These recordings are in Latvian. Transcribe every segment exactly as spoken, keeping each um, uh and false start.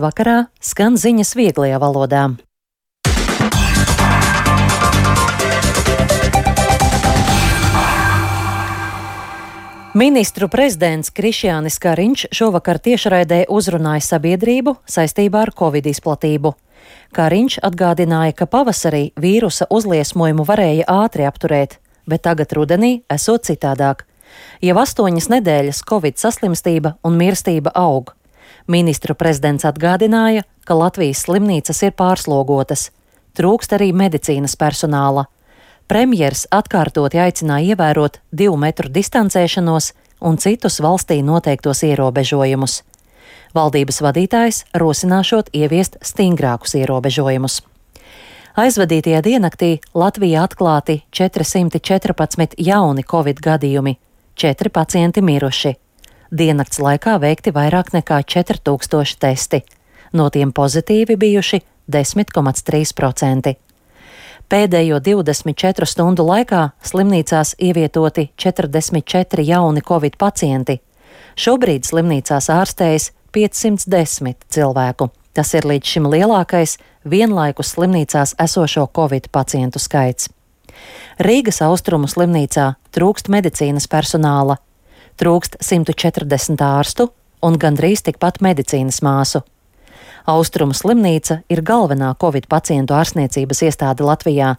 Vakarā skan ziņas vieglajā valodā. Ministru prezidents Krišjānis Kariņš šovakar tiešraidē uzrunāja sabiedrību saistībā ar covid izplatību. Kariņš atgādināja, ka pavasarī vīrusa uzliesmojumu varēja ātri apturēt, bet tagad rudenī esot citādāk. Jau astoņas nedēļas covid saslimstība un mirstība aug. Ministru prezidents atgādināja, ka Latvijas slimnīcas ir pārslogotas, trūkst arī medicīnas personāla. Premjers atkārtoti aicināja ievērot divu metru distancēšanos un citus valstī noteiktos ierobežojumus. Valdības vadītājs rosināšot ieviest stingrākus ierobežojumus. Aizvadītajā diennaktī Latvijā atklāti četri simti četrpadsmit jauni covid gadījumi, četri pacienti miruši. Diennakts laikā veikti vairāk nekā četri tūkstoši testi, no tiem pozitīvi bijuši desmit komats trīs procenti. Pēdējo divdesmit četru stundu laikā slimnīcās ievietoti četrdesmit četri jauni covid pacienti. Šobrīd slimnīcās ārstējas piecsimt desmit cilvēku. Tas ir līdz šim lielākais vienlaikus slimnīcās esošo covid pacientu skaits. Rīgas Austrumu slimnīcā trūkst medicīnas personāla. Trūkst simt četrdesmit ārstu un gandrīz tikpat medicīnas māsu. Austrumu slimnīca ir galvenā covid pacientu ārstniecības iestāde Latvijā.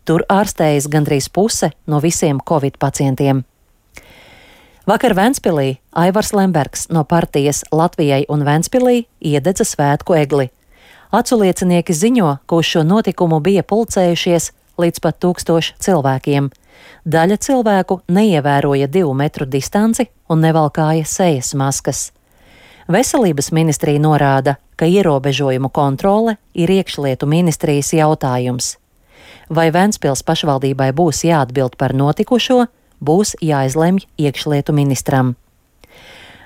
Tur ārstējas gandrīz puse no visiem covid pacientiem. Vakar Ventspilī Aivars Lembergs no partijas Latvijai un Ventspilī iededza svētku egli. Aculiecinieki ziņo, ka uz šo notikumu bija pulcējušies līdz pat tūkstoši cilvēkiem. Daļa cilvēku neievēroja divu metru distanci un nevalkāja sejas maskas. Veselības ministrija norāda, ka ierobežojumu kontrole ir iekšlietu ministrijas jautājums. Vai Ventspils pašvaldībai būs jāatbild par notikušo, būs jāizlemj iekšlietu ministram.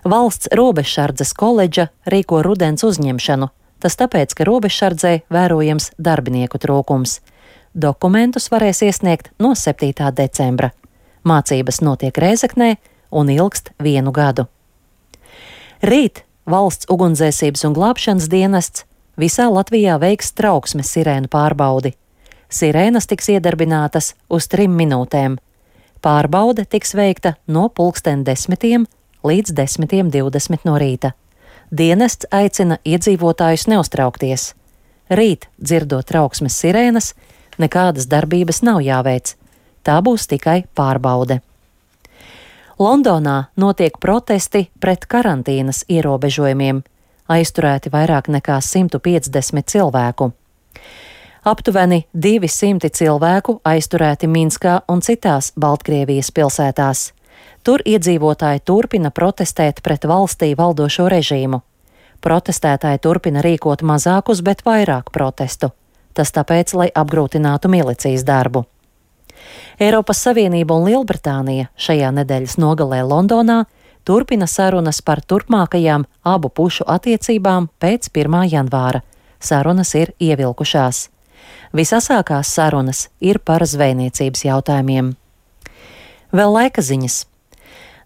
Valsts robežsardzes koledža rīko rudens uzņemšanu, tas tāpēc, ka robežsardzē vērojams darbinieku trūkums. Dokumentus varēs iesniegt no septītā decembra. Mācības notiek Rēzeknē un ilgst vienu gadu. Rīt Valsts ugunsdzēsības un glābšanas dienests visā Latvijā veiks trauksmes sirēnu pārbaudi. Sirēnas tiks iedarbinātas uz trim minūtēm. Pārbaude tiks veikta no pulksten desmitiem līdz desmitiem divdesmit no rīta. Dienests aicina iedzīvotājus neuztraukties. Rīt, dzirdot trauksmes sirēnas, nekādas darbības nav jāveic. Tā būs tikai pārbaude. Londonā notiek protesti pret karantīnas ierobežojumiem. Aizturēti vairāk nekā simt piecdesmit cilvēku. Aptuveni divi simti cilvēku aizturēti Minskā un citās Baltkrievijas pilsētās. Tur iedzīvotāji turpina protestēt pret valstī valdošo režīmu. Protestētāji turpina rīkot mazākus, bet vairāk protestu. Tas tāpēc, lai apgrūtinātu milicijas darbu. Eiropas Savienība un Lielbritānija šajā nedēļas nogalē Londonā turpina sarunas par turpmākajām abu pušu attiecībām pēc pirmā janvāra. Sarunas ir ievilkušās. Visasākās sarunas ir par zvejniecības jautājumiem. Vēl laika ziņas.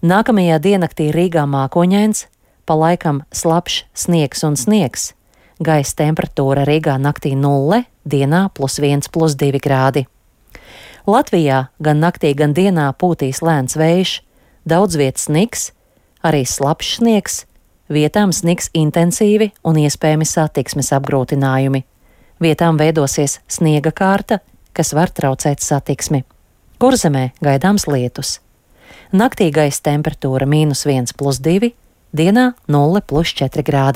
Nākamajā diennaktī Rīgā mākoņains, pa laikam slapjš sniegs un sniegs. Gaisa temperatūra Rīgā naktī nulle, dienā plus viens, plus divi grādi. Latvijā gan naktī, gan dienā pūtīs lēns vējš, daudz vietas sniks, arī slapjš sniegs, vietām sniks intensīvi un iespējami satiksmes apgrūtinājumi. Vietām veidosies sniega kārta, kas var traucēt satiksmi. Kurzemē gaidāms lietus. Naktī gaisa temperatūra mīnus viens, plus divi, dienā nulle, plus četri grādi.